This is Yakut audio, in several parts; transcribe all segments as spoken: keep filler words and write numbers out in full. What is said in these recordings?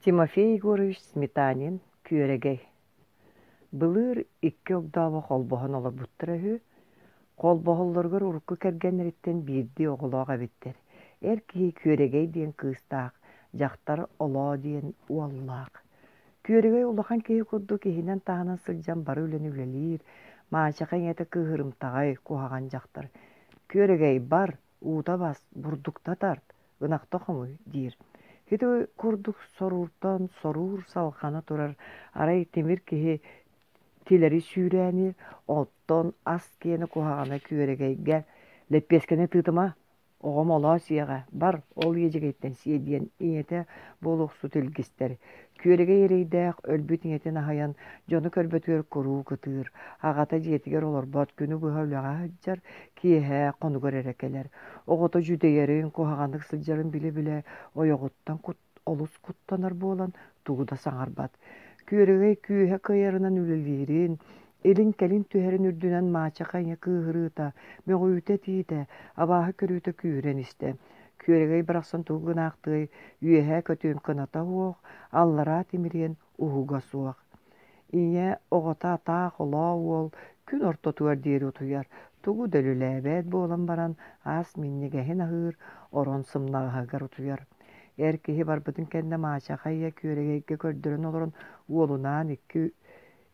Тимофей Егорович Сметанин Күөрэгэй Былыр икки огдообо холбоһон олорбуттара үһү. Холбоһоллоругар урукку кэргэннэриттэн биирдии оҕолоох эбиттэр. Эр киһи Күөрэгэй диэн кыыстаах, дьахтар Олоо диэн уоллаах. Күөрэгэй улахан киһи курдук иһинэн-таһынан сылдьан бары үлэни үлэлиир, маачаха ийэтэ кыыһырымтаҕай, куһаҕан дьахтар. «Күөрэгэй, бар, уута бас, бурдукта тарт, ынахта хомуй» диир. Ити курдук сорууртан соруур салҕана турар, арай тимир киһи тилэри сүүрээниир, оттон ас киэнэ куһаҕана Күөрэгэйгэ «Лэппиэскэни тыытыма, оҕом олоо сиэҕэ, бар, ол иэдьэгэйтэн сиэ» диэн ийэтэ буолуохсут илгистэр. Күөрэгэй эрэйдээх өлбүт ийэтин аһыйан, дьону көрбөтүгэр куруук ытыыр. Аҕата дьиэтигэр олорбот, күнү быһа үлэҕэ сылдьар, киэһэ хонугар эрэ кэлэр. Оҕото дьүдэйэрин, куһаҕаннык сылдьарын билэ-билэ ойоҕуттан олус куттанар буолан тугу да саҥарбат. Күөрэгэй күүһэ кыайарынан үлэлиирин, илин-кэлин түһэрин үрдүнэн маачаха ийэ кыыһырыыта, мөҕүүтэ-этиитэ, абааһы көрүүтэ күүһүрэн истэ. Күөрэгэй барахсан тугу гынаахтыай, үөһээ көтүөн кыната суох, аллараа тимириэн уһуга суох. Ийэ оҕото атаах олоо уол күн ортотугар диэри утуйар, тугу да үлэлээбэт буолан баран аас минньигэһин аһыыр, орон сымнаҕаһыгар утуйар. Эр киһи барбытын кэннэ маачаха ийэ Күөрэгэйгэ көрдөрөн олорон уолунаан икки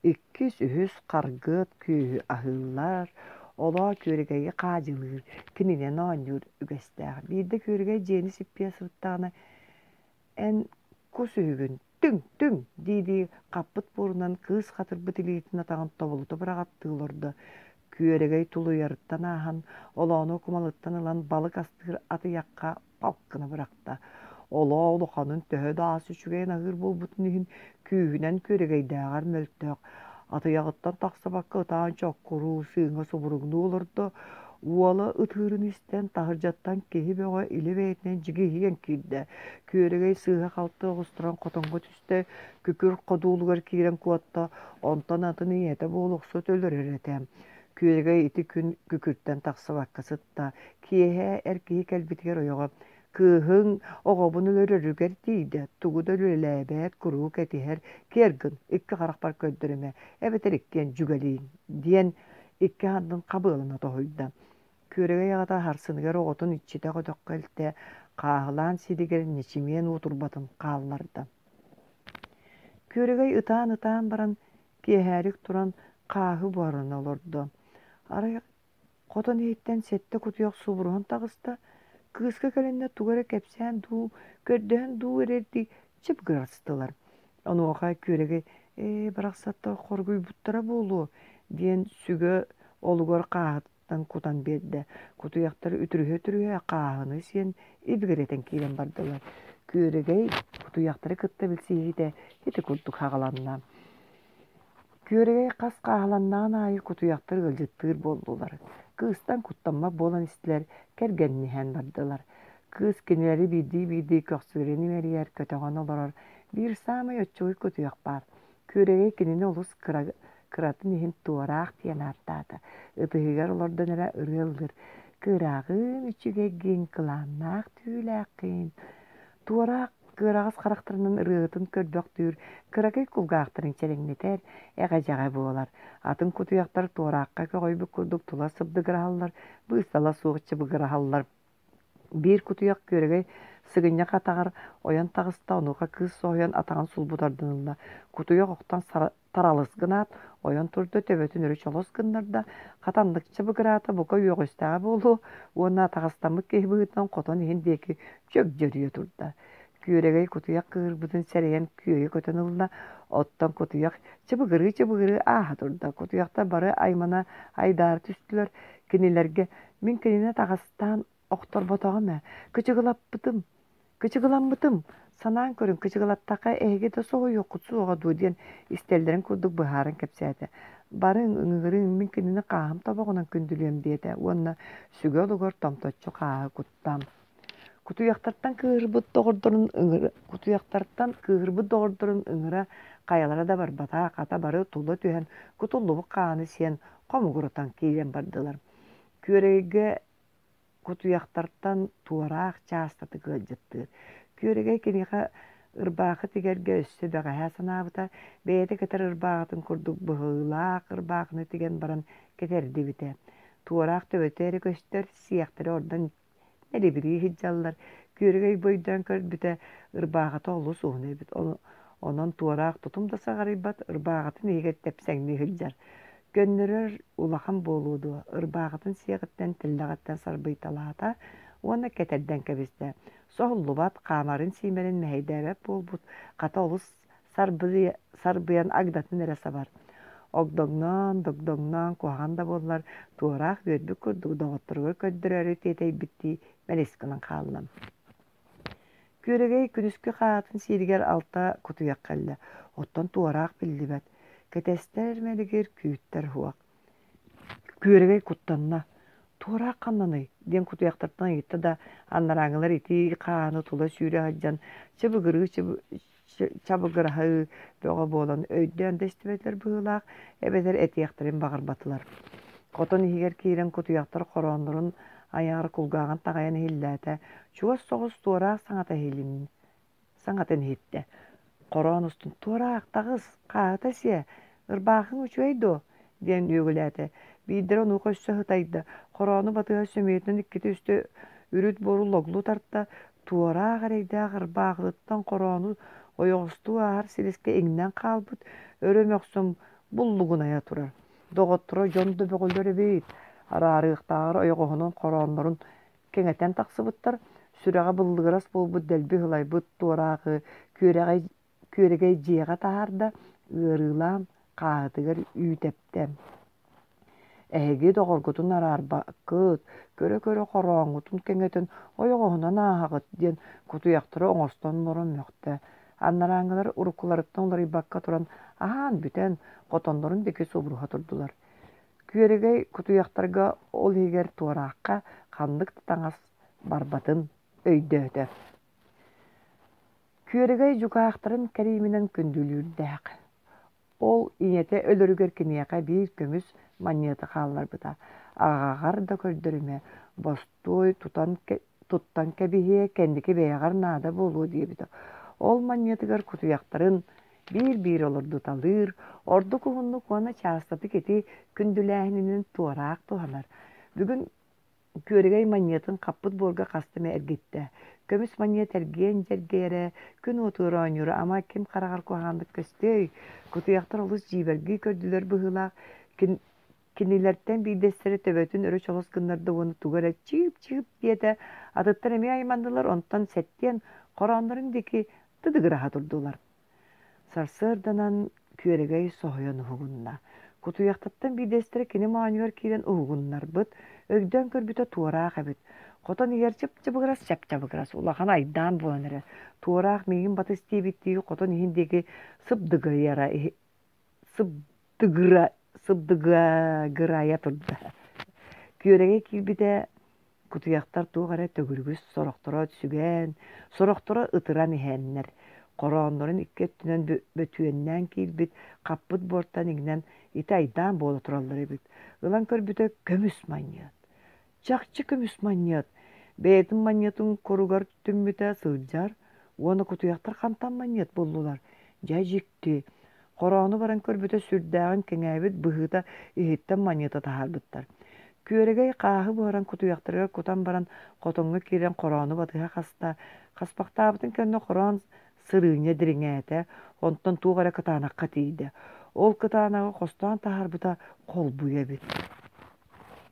иккис, үһүс харгыат күөһү аһыыллар, олоо Күөрэгэйи хаадьылыыр, кининэн оонньуур үгэстээх. Биирдэ Күөрэгэй дьиэни сиппийэ сырыттаҕына «Эн кус үһүгүн, түҥ, түҥ!» дии-дии хаппыт буорунан кыыс хатырбыт илиитин атаҕын тобулута быраҕаттыы олордо. Күөрэгэй тулуйарыттан ааһан, олоону кумалыттан ылан балык астыыр атыйахха палк гына бырахта. Олоо улаханын төһө да ас үчүгэйин аһыыр буолбутун иһин күүһүнэн күөрэгэйдээҕэр мөлтөх. Атыйаҕыттан тахсыбакка ытаан чоккуруу, сыыҥа субуруҥнуу олордо. Уола ытыырын истэн, таһырдьаттан киһи бөҕө илэ бэйэтинэн дьигиһийэн киирдэ. Күөрэгэй сыыһа-халты оҕустаран хотоҥҥо түстэ, күкүр ходуулугар киирэн куотта, онтон атын ийэтэ буолуохсут өлөрөр этэ. Күөрэгэй ити күн күкүртэн тахсыбакка сытта. Киэһэ эр киһи кэлбитигэр ойоҕо «Кыыһыҥ оҕобун өлөрөрүгэр тиийдэ, тугу да үлэлээбэт, куруук этиһэр, киэр гын, икки харахпар көрдөрүмэ, эбэтэр иккиэн дьүгэлииҥ» диэн икки ардын хабыалана тоһуйда. Күөрэгэй аҕата сарсыныгар оҕотун иччитэх өтөххө илтэ, хааһылаан сиригэр ньэчимиэн уотурбатын хаалларда. Күөрэгэй ытаан-ытаан баран, киэһэрик туран хааһы буһарына олордо. Арай хотон иһиттэн сэттэ кутуйах субуруһан таҕыста, кыыска кэлэннэр тугу эрэ кэпсээн дуу, көрдөһөн дуу эрэрдии чып гырастылар. Онуоха Күөрэгэй «Ээ, барахсаттар хоргуйбуттара буолуо» диэн сүгэ олугар хааһыттан кутан биэрдэ. Кутуйахтар үтүрүһэ-үтүрүһэ хааһыны сиэн ибигирэтэн киирэн бардылар. Күөрэгэй кутуйахтары кытта билсиһиитэ ити курдук саҕаланна. Күөрэгэй хас хааһыланнаҕын аайы кутуйахтар ыалдьыттыыр буоллулар. Кыыстан куттаммат буолан истилэр, кэргэнниһэн бардылар. Кыыс кинилэри биирдии-биирдии көхсүлэрин имэрийэр, көтөҕөн олорор. Биир саамай оччугуй кутуйах баар. Күөрэгэй кинини олус кыра, кыратын иһин туораах диэн ааттаата. Ытыһыгар олордон эрэ ырыа ыллыыр: «Кыраҕыын үчүгэйгин, кылааннаах түүлээххин, Туораах кыараҕас харахтарынан ырыаһытын көрбөхтүүр, кыракый кулгаахтарын чэрэҥнэтэр, эҕэдьэҕэ буолар. Атын кутуйахтар туораахха көҕүйбүт курдук тула сыбдыгыраһаллар, быыстала суох чыбыгыраһаллар. Биир кутуйах күөрэгэй сыгынньах атаҕар ойон таҕыста, онуоха кыыс соһуйан атаҕын сулбу тардан ылла. Кутуйах охтон таралыс гынаат, ойон турда, төбөтүн өрө чолос гыннарда, хатаннык чыбыгыраата, бука үөҕүстэҕэ буолуо уонна атаҕастаммыт киһи быһыытынан хотон иһин диэки чөгдьөрүйэ турда. Күөрэгэй кутуйах кыыһырбытын сэрэйэн күөйэ көтөн ылла, оттон кутуйах чыбыгырыы-чыбыгырыы ааһа турда. Кутуйахтар бары аймана айдаара түстүлэр. Кинилэргэ «Мин кинини атаҕастаан охторботоҕум ээ, кычыгылаппытым, кычыгыламмытым, санаан көрүҥ, кычыгылаттахха эһиги да соһуйуоххут суоҕа дуо» диэн истэллэрин курдук быһааран кэпсээтэ. «Барыҥ, ыҥырыҥ, мин кинини хааһым тобоҕунан күндүлүөм» диэтэ уонна сүгэ олугар томточчу хааһы кутта. Кутуйахтартан кыыһырбыт доҕордорун ыҥыра кутуйахтартан кыыһырбыт доҕордорун ыҥыра хайалара да барбата, хата бары тула түһэн кутуллубут хааны сиэн хомугуратан киирэн бардылар. Күөрэйгэ кутуйахтартан туораах чаастатык ыалдьыттыыр. Күөрэгэй киниэхэ Ырбаахы тигэргэ өссө бэҕэһээ санаабыта, бэйэтэ кэтэр ырбааҕытын курдук быһыылаах ырбаахыны тигэн баран кэтэрдибитэ. Туораах төбөтө эрэ көстөр, сиэхтэрэ ордон мэлибирии сылдьаллар. Күөрэгэй бу өйдөөн көрбүтэ, ырбааҕыта олус уһун эбит. Онон туораах тутум да саҕарыйбат, ырбааҕытын иһигэр тэпсэҥнии сылдьар. Көннөрөр улахан буолуо дуо, ырбааҕытын сиэҕиттэн тэллэҕиттэн сарбыйталаата уонна кэтэрдэн кэбистэ. Соһуллубат, хаамарын-сиимэрин мэһэйдээбэт буолбут, хата олус сарбыйа, сарбыйан агдатын эрэ сабар. Огдоҥноон, догдоҥноон куһаҕан да буоллар, туораах үөрбүт курдук доҕотторугар көрдөрөөрү тиэтэйбиттии мэлис гынан хаалла. Күөрэгэй күнүскү хаатын сииригэр алта кутуйах кэллэ, оттон туораах биллибэт. Кэтэстэр мэлигир, күүттэр уһуох. Күөрэгэй куттанна: «Туораах ханнаный?» диэн кутуйахтартан ыйытта да, анарааҥҥылар итии хааны тула сүүрэ сылдьан чыбыгырыы чабыгыраһыы бөҕө буолан өйдөөн да истибэтилэр быһыылаах, эбэтэр этиэхтэрин баҕарбатылар. Хотон иһигэр киирэн кутуйахтар хорооннорун айаҕар кулгааҕын таҕайан иһиллээтэ, чугас соҕус туораах саҥата иһилиннэ саҥатын иһиттэ. Хороон устун «Туораах, таҕыс, хааһыта сиэ, ырбаахыҥ үчүгэй дуо?» диэн үөгүлээтэ. Биирдэрэ онуоха өссө сытайда, хороону батыһа сөмүйэтинэн иккитэ-үстэ үрүт буору логлу тарта, туораах эрэйдээх ырбаахытыттан хороону ойоҕостуу ааһар силискэ иҥнэн хаалбыт, өрө мөхсөн буллугунайа турар. Доҕотторо дьон да бөҕөлөр эбит, араарыахтааҕар ойоҕоһунан хорооннорун кэҥэтэн тахсыбыттар, сүрэҕэ быллыгырас буолбут дэлби ыһылайбыт туораахы күөрэҕэй, күөрэгэй дьиэҕэ таһаарда, ыарыылаан хааһытыгар үүт эптэ. Эһиги доҕоргутун араарбаккыт, көрө-көрө хорооҥҥутун кэҥэтэн ойоҕоһунан ааһаҕыт диэн кутуйахтары оҥостон олорон мөхтө. Анарааҥҥылар уруккуларыттан уларыйбакка туран аһаан бүтэн, хотоннорун диэки субуруһа турдулар. Күөрэгэй кутуйахтарга ол иһигэр туораахха ханнык да таҥас барбатын өйдөөтө. Күөрэгэй дьукаахтарын кэрииминэн күндүлүүрдээх. Ол ийэтэ өлөрүгэр киниэхэ биир көмүс манньыаты хаалларбыта. Аҕаҕар да көрдөрүмэ, бостуой тутан, туттан кэбиһиэ, кэнники бэйэҕэр наада буолуо диэбитэ. Ол манньыатыгар кутуйахтарын биир-биир олордуталыыр, ордук уһуннук уонна чаастатык ити күндүлээһининэн туораах туһанар. Бүгүн Күөрэгэй манньыатын хаппыт буорга хаста эмэ эргиттэ. Көмүс манньыат эргиэн дьэргэйэрэ, күн уотугар оонньуура ама ким хараҕар куһаҕаннык көстүөй? Кутуйахтар олус дьиибэргии көрдүлэр быһыылаах. Кин кинилэртэн биирдэстэрэ төбөтүн өрө чолос гыннарда уонна тугу эрэ чыып-чыып диэтэ. Атыттар эмиэ айманнылар, онтон сэттиэн хорооннорун диэки тыдыгыраһа турдулар. Сарсыарданан Күөрэгэй соһуйан уһугунна. Кутуйахтартан биирдэстэрэ кини моонньугар киирэн уһугуннарбыт, өйдөөн көрбүтэ туораах эбит. Хотон иһигэр чып-чыбыгырас, чап-чабыгырас, улахан айдаан буолан эрэр. Туораах миигин батыс диэбиттии хотон иһин диэки сыбдыгыйара сыбдыгыра сыбдыгыгырайа турда. Күөрэгэй киирбитэ Кутуйахтар туох эрэ төгүрүгүс сорохторо сүгэн, сорохторо ытыран иһэннэр, хорооннорун икки өттүнэн бөтүөннээн киирбит, хаппыт буортан иҥнэн ити айдаан буола тураллар эбит. Ылан көрбүтэ көмүс манньыат. Чахчы көмүс манньыат. Бэйэтин манньыатын куругар түммүтэ сылдьар уонна кутуйахтар хантан манньыат буллулар? Дьэ дьикти. Хороону баран көрбүтэ сүрдээҕин кэҥээбит быһыыта иһиттэн манньыта таһаарбыттар. Күөрэгэй хааһы буһаран кутуйахтарыгар кутан баран хотоҥҥо киирэн хороону батыһа хаста, хаспахтаабытын кэннэ хороон сырыынньа дириҥээтэ, онтон туох эрэ кытаанахха тиийдэ. Ол кытаанаҕы хостоон таһаарбыта холбуйа эбит.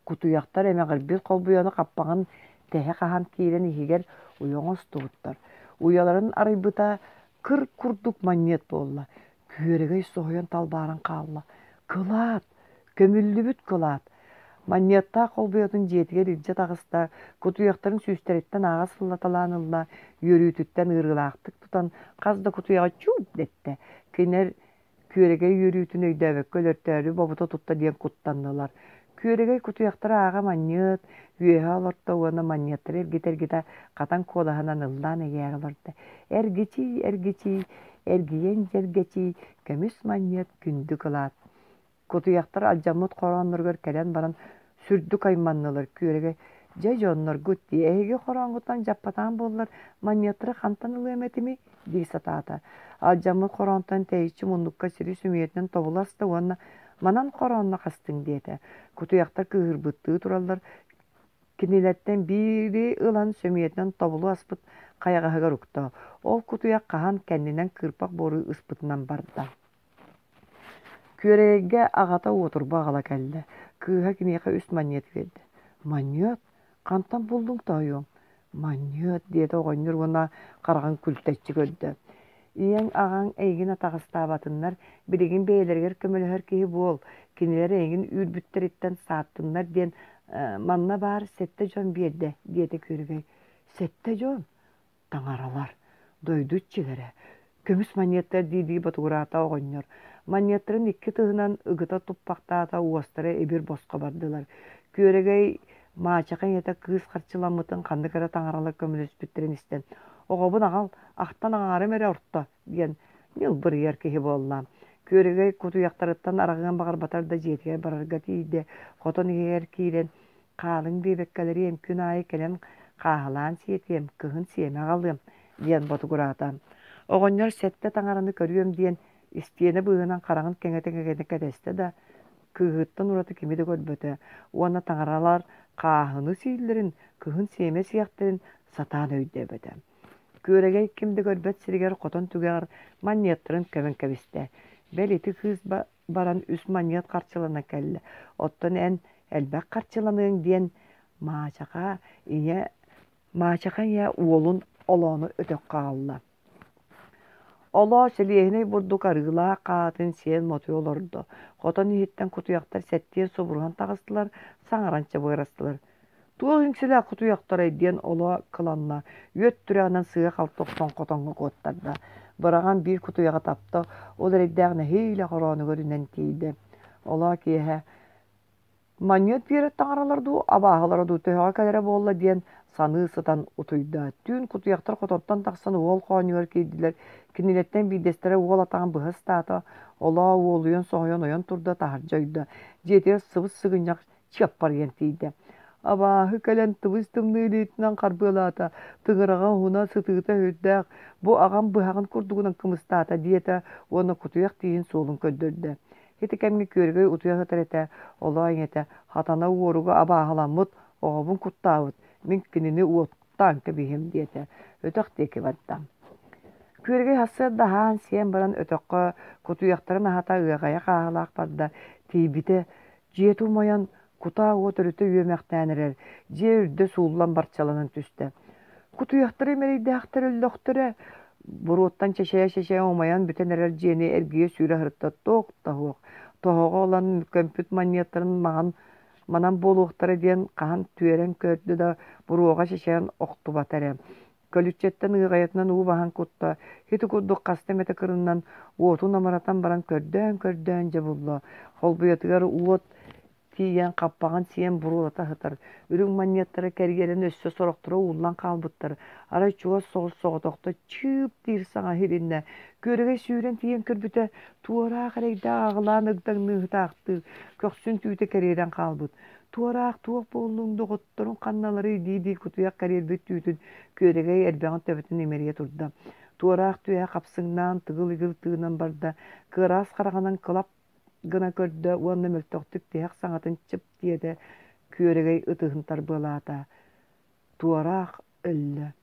Кутуйахтар эмэҕирбит холбуйаны хаппаҕын тэһэ хаһан киирэн иһигэр уйа оҥостубуттар. Уйаларын арыйбыта кыр курдук манньыат буолла. Күөрэгэй соһуйан талбааран хаалла. Кылаат! Көмүллүбүт кылаат! Манньыаттаах холбуйатын дьиэтигэр илдьэ таҕыста, кутуйахтарын сүүстэриттэн ааҕа сыллаталаан ылла, үөрүүтүттэн ыарыылаахтык тутан хас да кутуйаҕы чууп дэттэ. Кинилэр Күөрэгэй үөрүүтүн өйдөөбөккө өлөртөөрү бобута тутта диэн куттаннылар. Күөрэгэй кутуйахтары ааҕа манньыат, үөһэ олорто уонна манньыаттары эргитэ-эргитэ хатан куолаһынан ыллаан эйээрэ олордо: «Эргичий, эргичий, эргийэн дьэргэчий, көмүс манньыат күндү кылаат». Кутуйахтар алдьаммыт хороонноругар кэлэн баран сүрдүк айманнылар. Күөрэгэй: «Дьэ дьонноргут дии, эһиги хорооҥҥутунан дьаппатаан буоллар, манньыаттары хантан ылыам этимий?» дии сатаата. Алдьаммыт хороонтон тэйиччи муннукка сири сөмүйэтинэн тобула аста уонна «Манан хороонно хастыҥ» диэтэ. Кутуйахтар кыыһырбыттыы тураллар, кинилэртэн биири ылан сөмүйэтинэн тобулу аспыт хайаҕаһыгар укта. Ол кутуйах хаһан кэннинэн кыырпах буору ыспытынан барда. Күөрэгэйгэ аҕата уотурба аҕала кэллэ. Кыыһа киниэхэ үс манньыат биэрдэ. «Манньыат? Хантан буллуҥ тоойуом?» «Манньыат» диэтэ оҕонньор уонна хараҕын күлтэччи көрдө. «Ийэҥ, аҕаҥ эйигин атаҕастаабатыннар, билигин бэйэлэригэр көмөлөһөр киһи буол, кинилэр эйигин үүрбүттэриттэн сааттыннар диэн манна баар сэттэ дьон биэрдэ» диэтэ Күөрэгэй. «Сэттэ дьон? Таҥаралар, дойду иччилэрэ, көмүс манньыаттар дии-дии ботугураата оҕонньор. Манньыаттарын икки тыһынан ыгыта туппахтаата, уостара ибир босхо бардылар. Күөрэгэй маачаха ийэтэ кыыс харчыламмытын ханнык эрэ таҥаралар көмөлөспүттэрин истэн, «Оҕобун аҕал, ахтан аҥаарым эрэ орто» диэн ньылбырыйар киһи буолла. Күөрэгэй кутуйахтарыттан араҕыан баҕарбатар да дьиэтигэр барарга тиийдэ. Хотон иһигэр киирэн «Хаалыҥ диэбэккэлэриэм, күн аайы кэлэн хааһылаан сиэтиэм, кыһын сиэмэ аҕалыам» диэн ботугураата. Оҕонньор сэттэ таҥараны көрүөм диэн истиэнэ быыһынан хараҕын кэҥэтэ-кэҥэтэ кэтэстэ да, кыыһыттан ураты кими да көрбөтө уонна таҥаралар хааһыны сииллэрин, кыһын сиэмэ сиэхтэрин сатаан өйдөөбөтө. Күөрэгэй ким да көрбөт сиригэр хотон түгэҕэр манньыаттарын көмөн кэбистэ. Бэл ити кыыс баран үс манньыат харчылана кэллэ, оттон эн элбэх харчыланыаҥ диэн Маачаха ийэ Маачаха ийэ уолун олоону өтөххө аҕалла. Олоо сэлиэһинэй бурдук арыылаах хаатын сиэн мотуйа олордо. Хотон иһиттэн кутуйахтар сэттиэн субуруһан таҕыстылар, саҥаран чабырастылар. Туох иҥсэлээх кутуйахтарай диэн олоо кыланна, үөт түрэҕинэн сыыһа-халты охсон хотоҥҥо куоттарда. Быраҕан биир кутуйаҕы тапта, ол эрэйдээх нэһиилэ хороонугар үнэн тиийдэ. Олоо киэһэ Манньыат биэрэр таҥаралар дуу, абааһылара дуу төһөҕө кэлэрэ буолла диэн саныы сытан утуйда. Түүн кутуйахтар хотонтон тахсан уол хоонньугар киирдилэр. Кинилэртэн биирдэстэрэ уол атаҕын быһа ыстаата, олоо уолуйан соһуйан ойон турда, таһырдьа ойдо. Дьиэтигэр сыбыс-сыгынньах чыаппарыйан тиийдэ. Абааһы кэлэн тыбыс-тымныы илиитинэн харбыалаата, тыҥыраҕа уһуна, сытыыта сүрдээх, бу аҕам быһаҕын курдугунан кымыстаата диэтэ уонна кутуйах тииһин суолун көрдөрдө. Ити кэмҥэ күөрэгэй утуйа сытар этэ, олоо ийэтэ хатана уоруга абааһыламмыт, оҕобун куттаабыт, мин кинини уоттаан кэбиһиэм диэтэ, өтөх диэки барда. Күөрэгэй сарсыарда аһаан-сиэн баран өтөххө кутуйахтарын аһата ыаҕайа хааһылаах барда, тиийбитэ дьиэтэ умайан, кутаа уот өрүтэ үөмэхтээн эрэр, дьиэ үрдэ сууллан барчаланан түстэ. Кутуйахтары мэрэйдээхтэр өллөхтөрө, буруоттан чэчэйэ-чэчэйэ умайан бүтэн эрэр дьиэни эргийэ сүүрэ сырытта туох да суох. Тоһоҕо ылан көмпүт манньыаттарын маҥан манан буолуохтара диэн хаһан түөрэн көрдө да буруоҕа чэчэйэн охтубата эрэ. Көлүччэттэн ыаҕайатынан уу баһан кутта, ити курдук хаста эмэтэ кырыннан уотун амаратан баран көрдөөн-көрдөөн дьэ булла. Холбуйатыгар уот тиийэн хаппаҕын сиэн буруолата сытар, үрүҥ манньыаттара кэрийэрин өссө сорохторо ууллан хаалбыттар, арай чугас соҕус соҕотохто чыып диир саҥа иһилиннэ, күөрэгэй сүүрэн тиийэн көрбүтэ, туораах эрэйдээх аҕылаан ыгдаҥныы сытаахтыыр, көхсүн түүтэ кэриэрэн хаалбыт. Туораах туох буоллуҥ, доҕотторуҥ ханналарый дии-дии кутуйах кэриэрбит түүтүн күөрэгэй эрбэҕин төбөтүн имэрийэ турда. Туораах түөһэ хапсыҥнаан тыгыл-игил тыынан барда, кыараас хараҕынан кылап гына көрдө уонна мөлтөхтүк тиһэх саҥатын чып диэтэ, күөрэгэй ытыһын тарбыалаата. Туораах өллө.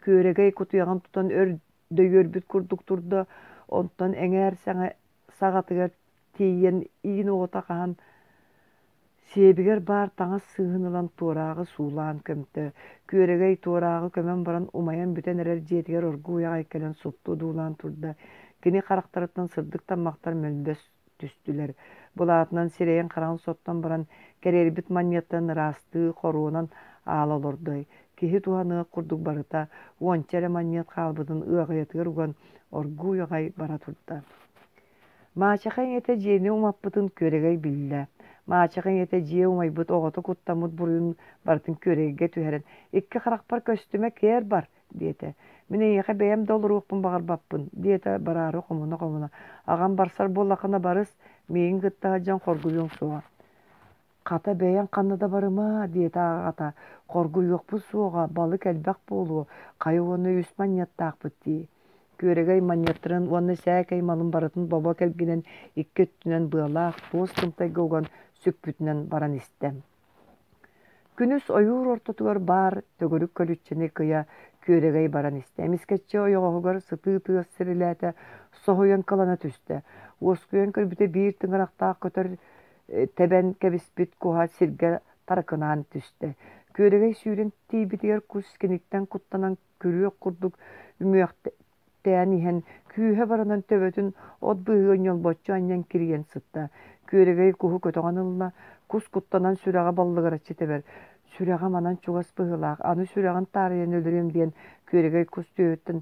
Күөрэгэй кутуйаҕын тутан өр дөйүөрбүт курдук турда, онтон эҥээр саҕатыгар тиийэн иин оҕото хаһан сиэбигэр баар таҥас сыыһын ылан туорааҕы суулаан көмтө. Күөрэгэй туорааҕы көмөн баран умайан бүтэн эрэр дьиэтигэр оргууй аҕай кэлэн супту одуулаан турда. Кини харахтарыттан сырдык таммахтар мөлбөс түстүлэр. Былаатынан сирэйин-хараҕын соттон баран, кэриэрбит манньыаттан ыраастыы хоруонан аала олордо. Киһи туһаныах курдук барыта уонча эрэ манньыат хаалбытын ыаҕайатыгар уган оргууй аҕай бара турда. Маачаха ийэтэ дьиэни умаппытын Күөрэгэй биллэ. Маачаха ийэтэ дьиэ умайбыт оҕото куттаммыт буруйун барытын Күөрэгэйгэ түһэрэн, «Икки харахпар көстүмэ, кээр бар!» диэтэ. «Мин эйиэхэ бэйэм да олоруохпун баҕарбаппын» диэтэ бараары хомуна-хомуна. «Аҕам барсар буоллаххына барыс, миигин кытта сылдьан хоргуйуоҥ суоҕа». «Хата бэйэҥ ханна да барыма» диэтэ аҕата, «хоргуйуохпут суоҕа, балык элбэх буолуо, хайа уонна үс манньыаттаахпыт дии» Күөрэгэй манньыаттарын уонна сээкэй малын барытын бобо кэлгинэн икки өттүнэн быалаах туос тымтайга уган сүкпүтүнэн баран истэ. Күнүс ойуур ортотугар баар төгүрүк көлүччэни кыйа күөрэгэй баран истэ. Эмискэччи ойоҕоһугар сытыы тыас сирилээтэ, соһуйан кылана түстэ. Уоскуйан көрбүтэ биир тыҥырахтаах көтөр тэбэн кэбиспит куһа сиргэ таракынаан түстэ. Күөрэгэй сүүрэн тиийбитигэр кус киниттэн куттанан күрүөх курдук үмүөхтээн иһэн, күүһэ баранан төбөтүн от быыһыгар ньолбоччу анньан кирийэн сытта. Күөрэгэй куһу көтөҕөн ылла, кус куттанан сүрэҕэ баллыгыраччы тэбэр. Сүрэҕэ манан чугас быһыылаах, аны сүрэҕин таарыйан өлөрүөм диэн Күөрэгэй кус түөһүттэн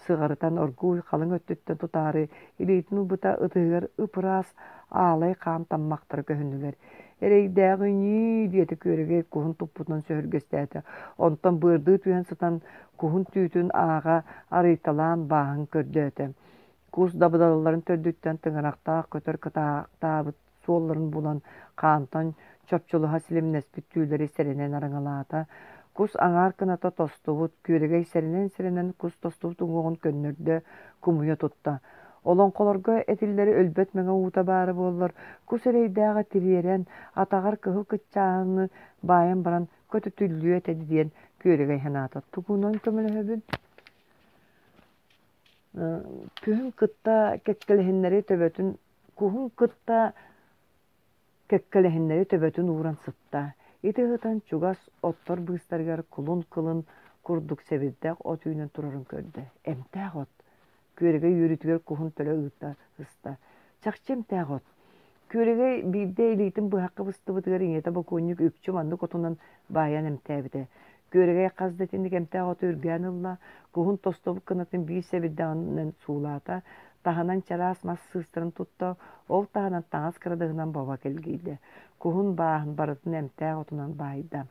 сыҕарытан оргууй халыҥ өттүттэн тутаары илиитин ылбыта ытыһыгар ып-ыраас аалай хаан таммахтара көһүннүлэр. Эрэйдээҕи ньии диэтэ Күөрэгэй куһун туппутунан сөһүргэстээтэ. Онтон быардыы түһэн сытан куһун түүтүн ааҕа арыйталаан бааһын көрдөөтө. Кус дабыдалларын төрдүттэн тыҥырахтаах көтөр кытаахтаабыт суолларын булан, хаантан чопчулаһа силимнэспит түүлэри сэрэнэн араҥалаата. Кус аҥаар кыната тостубут, күөрэгэй сэрэнэн-сэрэнэн кус тостубут уҥуоҕун көннөрдө, кумуйа тутта. Олоҥхолорго этиллэри өлбөт мэҥэ уута баара буоллар, кус эрэйдээҕи тириэрэн, атаҕар кыһыл кыччааһыны баайан баран көтүтүллүө этэ диэн күөрэгэй санаата. Тугунан көмөлөһөбүн? Күһүн кытта кэккэлэһиннэри төбөтүн куһун кытта кэккэлэһиннэри төбөтүн ууран сытта. Ити ыһытан чугас оттор быыстарыгар кулун кылын курдук сэбирдэх от үүнэн турарын көрдө. Эмтээх от. Күөрэгэй үөрүүтүгэр куһун төлө ыыта ыста. Чахчы эмтээх от. Күөрэгэй биирдэ илиитин быһахха быстыбытыгар ийэтэ бокуонньук үкчү маннык отунан баайан эмтээбитэ. Күөрэгэй хас да итинник эмтээх оту үргээн ылла, куһун тостубут кынатын биир сэбирдэҕинэн суулаата, таһынан чараас мас сыыстарын тутта, ол таһынан таҥас кырадаһынан баба кэлгийдэ. Куһун бааһын барытын эмтээх отунан баайда.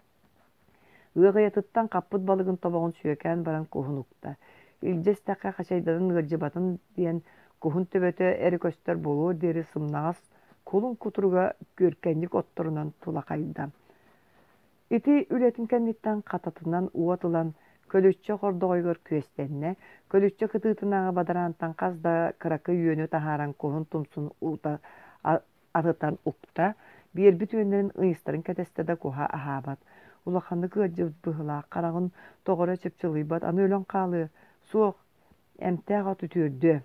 Ыаҕайатыттан хаппыт балыгын тобоҕун сүөкээн баран куһун укта. Илдьэ истэххэ хачайданан ыалдьыбатын диэн куһун төбөтө эрэ көстөр буолуор диэри сымнаҕас кулун кутуруга күөркэнньик отторунан тулахайда. Ити үлэтин кэнниттэн хататынан уот ылан, көлүччэ хордоҕойугар күөстэннэ, көлүччэ кытыытынааҕы бадараантан хас да кыракый үөнү таһааран куһун тумсун уута атытан укта, биэрбит үөннэрин ыйыстарын кэтэстэ да куһа аһаабат. Улаханнык ыалдьыбыт быһыылаах, хараҕын тоҕо эрэ чыпчылыйбат, аны өлөн хаалыа, суох, эмтээх от үтүөрдүө.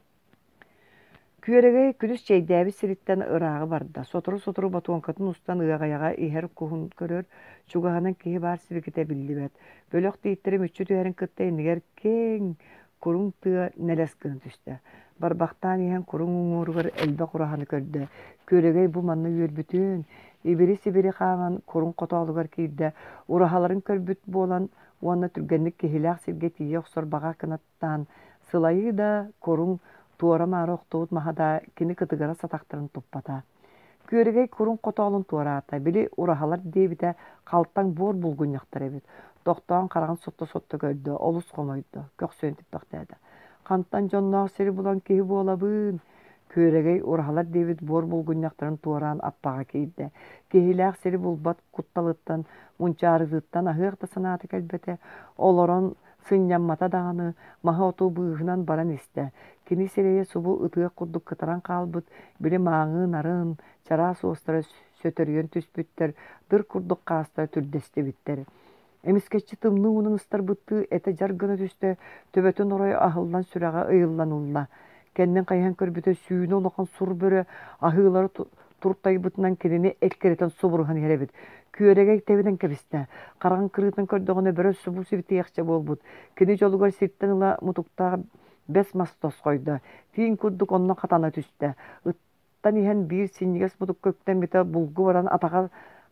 Күөрэгэй күнүс чэйдээбит сириттэн ырааҕы барда, сотору-сотору ботуоҥкатын устан ыаҕайаҕа иһэр куһун көрөр, чугаһынан киһи баар сибикитэ биллибэт. Бөлөх тииттэрэ мүччү түһэрин кытта иннигэр киэҥ, куруҥ тыа нэлэс гына түстэ. Барбахтаан иһэн куруҥ уҥуоругар элбэх ураһаны көрдө. Күөрэгэй бу манна үөрбүтүн, ибири-сибири хааман куруҥ хотоолугар киирдэ, ураһаларын көрбүт буолан уонна түргэнник киһилээх сиргэ тиийэ охсор баҕа кынаттаан, сылайыы да, куруҥ туора-маары охтубут маһа да кини кытыгырас атахтарын туппата. Күөрэгэй курун хотоолун туораата, били ураһалар диэбитэ халтаҥ буор булгунньахтар эбит. Тохтоон хараҕын сотто-сотто көрдө, олус хомойдо, көхсүөн типпэхтээтэ. Хантан дьонноох сири булан киһи буолабын? Күөрэгэй ураһалар диэбит буор булгунньахтарын туораан аппаҕа киирдэ. Киһилээх сири булбат кутталыттан, мунчаарытыттан аһыах да санаата кэлбэтэ. Олорон сынньаммата даҕаны, маһы-оту быыһынан баран истэ. Кини сирэйэ субу ытыах курдук кытаран хаалбыт, били мааҥы нарын, чараас уостара сөтөрүйэн түспүттэр, дыр курдук хаастара түрдэстибиттэр. Эмискэччи тымныы уунан ыстарбыттыы этэ дьар гына түстэ, төбөтүн оройо аһыллан сүрэҕэ ыйыллан ылла. Кэннин хайыһан көрбүтэ сүүнэ улахан сур бөрө аһыылара туртайбытынан кинини эккирэтэн субуруһан иһэр эбит. Күөрэгэй тэбинэн кэбистэ. Хараҕын кырыытын көрдөҕүнэ бөрө субу сибитиэхчэ буолбут. Кини дьолугар сиртэн ыла мутуктаах бэс мас тосхойдо. Тииҥ курдук онно хатана түстэ. Ыттан иһэн биир синньигэс мутукка үктэммитэ булгу баран атаҕар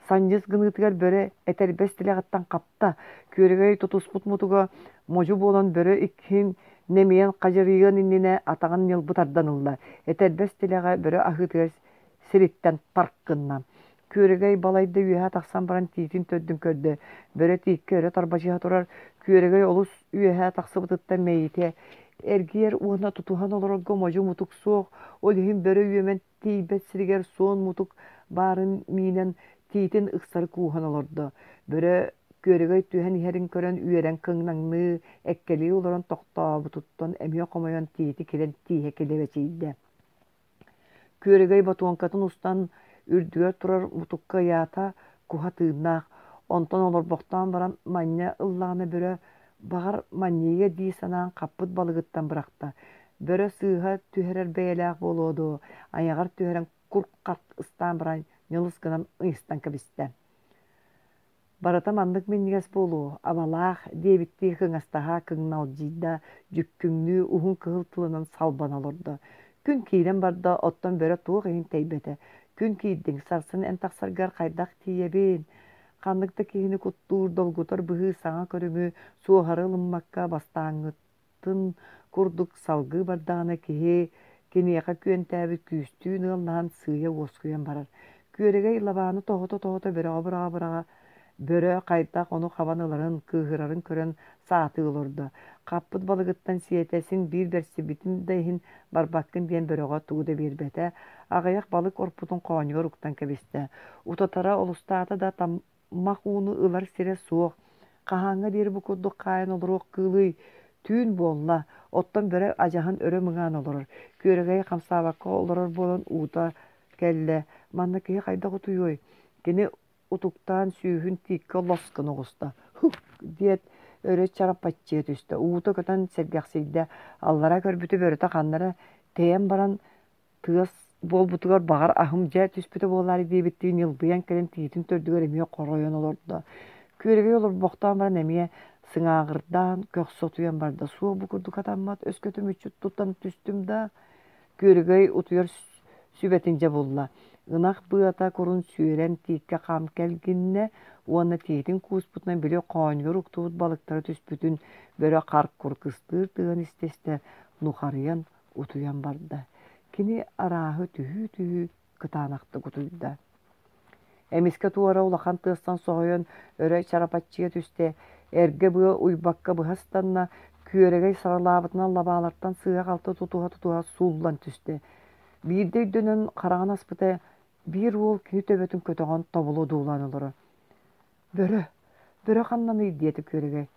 санньыс гыныытыгар бөрө этэрбэс тилэҕиттэн хапта. Күөрэгэй тутуспут мутуга модьу буолан бөрө иккиһин нэмийэн хадьырыйыан иннинэ атаҕын ньылбы тардан ылла. Этэрбэс тилэҕэ бөрө аһыытыгар сириттэн тарк гынна. Күөрэгэй балайда үөһэ тахсан баран тиитин төрдүн көрдө. Бөрө тииккэ өрө тарбачыһа турар. Күөрэгэй олус үөһэ тахсыбытыттан мэйиитэ эргийэр уонна тутуһан олорорго модьу мутук суох, ол иһин бөрө үөмэн тиийбэт сиригэр суон мутук баарын миинэн тиитин ыксары кууһан олордо. Бөрө Күөрэгэй түһэн иһэрин көрөн үөрэн кыҥнаҥныы, эккэлии олорон тохтообутуттан эмиэ хомойон тиити килэн тииһэ килэбэчийдэ. Күөрэгэй ботуоҥкатын устан үрдүгэр турар мутукка ыйаата, куһа тыыннаах. Онтон олорбохтоон баран манньа ыллаҕына бөрө, баҕар, манньыйыа дии санаан хаппыт балыгыттан бырахта. Бөрө сыыһа түһэрэр бэйэлээх буолуо дуо, айаҕар түһэрэн курк-харк ыстаан баран ньылыс гынан ыйыстан кэбистэ. Барыта маннык минньигэс буолуо, абалаах диэбиттии кыҥастаһа кыҥналдьыйда, дьүккүҥнүү уһун кыһыл тылынан салбана олордо. Күн киирэн барда, оттон бөрө туох иһин тэйбэтэ. Күн киирдиҥ, сарсын эн тахсаргар хайдах тиийэбин? Ханнык да киһини куттуур, долгутар быһыы саҥа көрүҥү, суоһары ылыммакка бастааҥҥытын курдук салгыы бардаҕына киһи киниэхэ күөнтээбит күүстүүн ыаллаһан сыыйа уоскуйан барар. Күөрэгэй лабааны тоһута-тоһута бөрөҕө быраҕа-быраҕа бөрө хайдах ону хабан ыларын, кыыһырарын көрөн саатыы олордо. Хаппыт балыгыттан сиэтэ, син биир бэрсибитин да иһин барбаккын диэн бөрөҕө тугу да биэрбэтэ. Аҕыйах балык орпутун хоонньугар уктан кэбистэ. Утатара олустаата да таммах ууну ылар сирэ суох. Хаһааҥҥа диэри бу курдук хаайан олоруох кыылый? Түүн буолла, оттон бөрө адьаһын өрө мыҥаан олорор. Күөрэгэй хамсаабакка олорор буолан уута кэллэ. Манна киһи хайдах утуйуой? Кини утуктаан сүүһүн тииккэ лос гына оҕуста. «Һук!» диэт өрө чарапаччыйа түстэ. Уута көтөн сэргэхсийдэ. Аллара көрбүтү бөрөтө ханна эрэ тэйэн баран тыас буолбутугар баҕар аһым дьэ түспүтэ буолаары диэбиттии ньылбыйан кэлэн тиитин төрдүгэр эмиэ хоройон олордо. Күөрэгэй олорбохтоон баран эмиэ сыҥааҕырдаан көхсө утуйан барда. Суох бу курдук атаммат, өскөтө мүччү тутан түстүм да Күөрэгэй утуйар сүбэтин дьэ булла. Ынах быата курун сүөрэн тииккэ хам кэлгиннэ уонна тиитин кууспутунан били хоонньугар уктубут балыктара түспүтүн бөрө хар-кур кыстыыр тыаһын истэ-истэ нухарыйан утуйан барда. Кини арааһы түһүү-түһүү кытаанахтык утуйда. Эмискэ туора улахан тыастан соһуйан өрө чарапаччыйа түстэ, эргэ быа уйбакка быһа ыстанна, күөрэгэй саралаабытынан лабаалартан сыыһа-халты тутуһа-тутуһа сууллан түстэ. Биирдэ өйдөнөн хараҕын аспыта, биир уол кини төбөтүн көтөҕөн тобулу одуулаан олорор. «Бөрө, бөрө ханнаный?» диэтэ Күөрэгэй.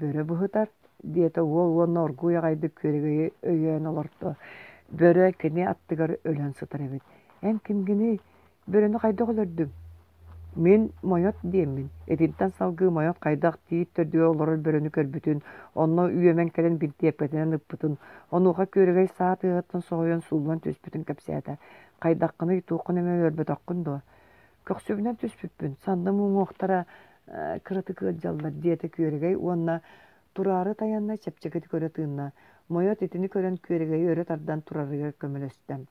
«Бөрө быһытар», диэтэ уол уонна оргууй аҕайдык Күөрэгэйи өйөөн олордо. Бөрө кини аттыгар өлөн сытар эбит. «Эн кимгиний? Бөрөнү хайдах өлөрдүҥ?» Мин Мойот диэммин. Итинтэн салгыы Мойот хайдах тиит төрдүгэр олорор бөрөнү көрбүтүн, онно үөмэн кэлэн бинтиэпкэтинэн ыппытын, онуоха Күөрэгэй саа тыаһыттан соһуйан сууллан түспүтүн кэпсээтэ. «Хайдаххыный, туоххун эмэ өлөрбөтөххүн дуо?» «Көхсүбүнэн түспүппүн, санным уҥуохтара кыратык ыалдьаллар», диэтэ Күөрэгэй уонна тураары тайанна чэпчэкитик өрө тыынна. Мойот итини көрөн Күөрэгэйи өрө тардан турарыгар көмөлөстө.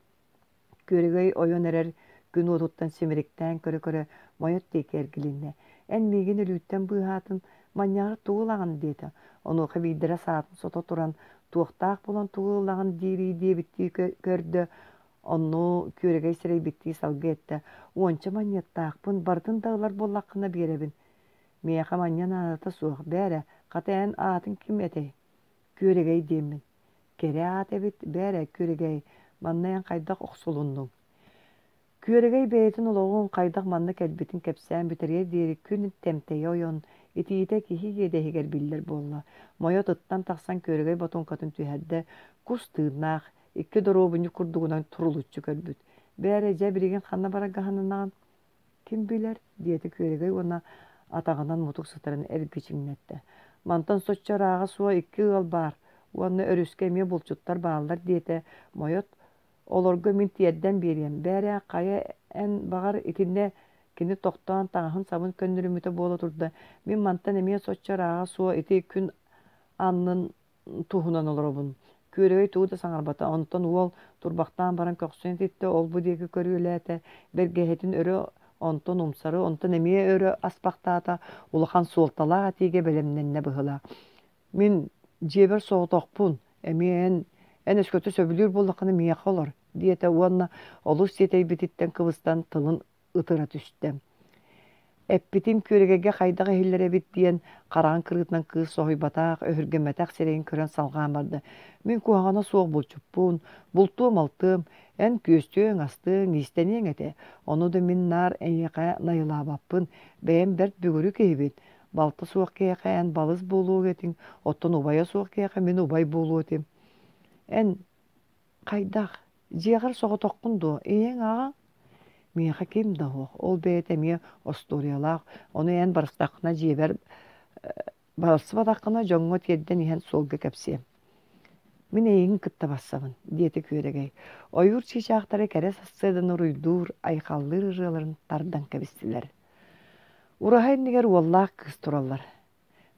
Күөрэгэй ойон эрэр күн уотуттан симириктээн көрө-көрө Мойот диэки эргилиннэ: «Эн миигин өлүүттэн быыһаатын, манньаҕар тугу ылаҕын?» диэтэ. Онуоха биирдэрэ саатын сото туран, туохтаах буолан тугу ылаҕын диирий диэбиттии көрдө, онно Күөрэгэй сэрэйбиттии салгыы эттэ: «Уонча манньыаттаахпын, барытын да ылар буоллаххына биэрэбин». «Миэхэ манньа наадата суох, бээрэ, хата эн аатыҥ ким этэй?» «Күөрэгэй диэммин». Кэрэ аат эбит, бээрэ, Күөрэгэй, манна эн хайдах охсулуннуҥ? Күөрэгэй бэйэтин олоҕун хайдах манна кэлбитин кэпсээн бүтэриэр диэри күн тэмтэйэ ойон, итиитэ киһи иэдэһигэр биллэр буолла. Мойот ыттан тахсан Күөрэгэй ботуоҥкатын түһэрдэ, кус тыыннаах, икки доруобунньук курдугунан турулуччу көрбүт. Бээрэ, дьэ билигин ханна барарга сананаҕын? Ким билэр, диэтэ Күөрэгэй уонна атаҕынан мутук сытарын эргичиҥнэттэ. Мантан соччо ырааҕа суох икки ыал баар уонна өрүскэ эмиэ булчуттар бааллар диэтэ Мойот. Олорго мин тиэрдэн биэриэм. Бээрэ, хайа эн баҕар итиннэ кини тохтоон таҥаһын-сабын көннөрүммүтэ буола турда. Мин мантан эмиэ соччо ырааҕа суох ити күн аннын туһунан олоробун. Күөрэгэй тугу да саҥарбата. Онтон уол турбахтаан баран көхсүн ититтэ, ол-бу диэки көрүөлээтэ, бэргэһэтин өрө, онтон умсары, онтон эмиэ өрө аспахтаата, улахан суолталаах этиигэ бэлэмнэннэ быһыылаах. Мин дьиэбэр соҕотохпун, эмиэ эн, эн өскөтө сөбүлүүр буоллаххына миэхэ олор, диэтэ уонна олус тиэтэйбититтэн кыбыстан тылын ытыра түстэ. Эппитим күөрэгэйгэ хайдах иһиллэр эбит диэн хараҕын кырыытынан кыыс соһуйбатах, өһүргэммэтэх сирэйин көрөн салҕаан барда. Мин куһаҕана суох булчуппун, бултуом-алтыам, эн күөстүөҥ-астыаҥ, иистэниэҥ этэ. Ону да мин наар эйиэхэ найылаабаппын, бэйэм бэрт бүгүрү киһибин. Балта суох киһиэхэ эн балыс буолуо этиҥ, оттон убайа суох киһиэхэ мин убай буолуо этим. Эн хайдах, дьиэҕэр соҕотоххун дуо, ийэҥ, аҕаҥ? Миэхэ ким да суох, ол бэйэтэ эмиэ остуоруйалаах, ону эн барыстаххына дьиэбэр барсыбатаххына дьоҥҥо тиэрдэн иһэн суолга кэпсиэм. Мин эйигин кытта барсабын, диэтэ Күөрэгэй. Ойуур чыычаахтара кэрэ сарсыарданы уруйдуур, айхаллыыр ырыаларын тардан кэбистилэр. Ураһа иннигэр уоллаах кыыс тураллар.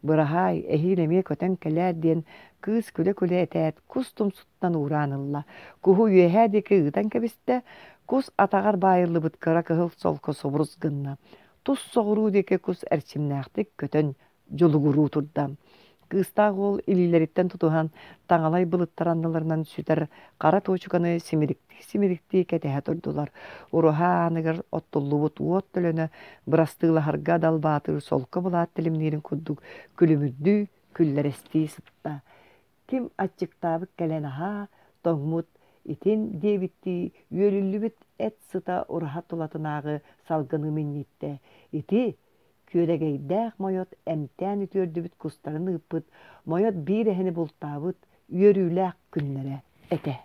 Быраһаай, эһиил эмиэ көтөн кэлээр диэн кыыс күлэ-күлэ этээт, кус тумсуттан уураан ылла. Куһу үөһээ диэки ыытан кэбистэ, кус атаҕар баайыллыбыт кыра кыһыл солко субурус гынна. Тус соҕуруу диэки кус эрчимнээхтик көтөн дьулугуруу турда. Кыыстаах уол илиилэриттэн тутуһан, таҥалай былыттар анныларынан сүтэр хара туочуканы симириктии-симириктии кэтэһэ турдулар. Уруһа ааныгар оттуллубут уот төлөнө бырастыылаһарга далбаатыыр солко былаат тилимниирин курдук күлүмүрдүү, күллэрэстии сытта. Ким аччыктаабыт кэлэн аһаа, тоҥмут итин диэбиттии үөлүллүбүт эт сыта ураһа тулатынааҕы салгыны минньиттэ. Ити Күөрэгэйдээх Мойот эмтээн үтүөрдүбүт кустарын ыыппыт, Мойот биир эһэни бултаабыт үөрүүлээх күннэрэ этэ.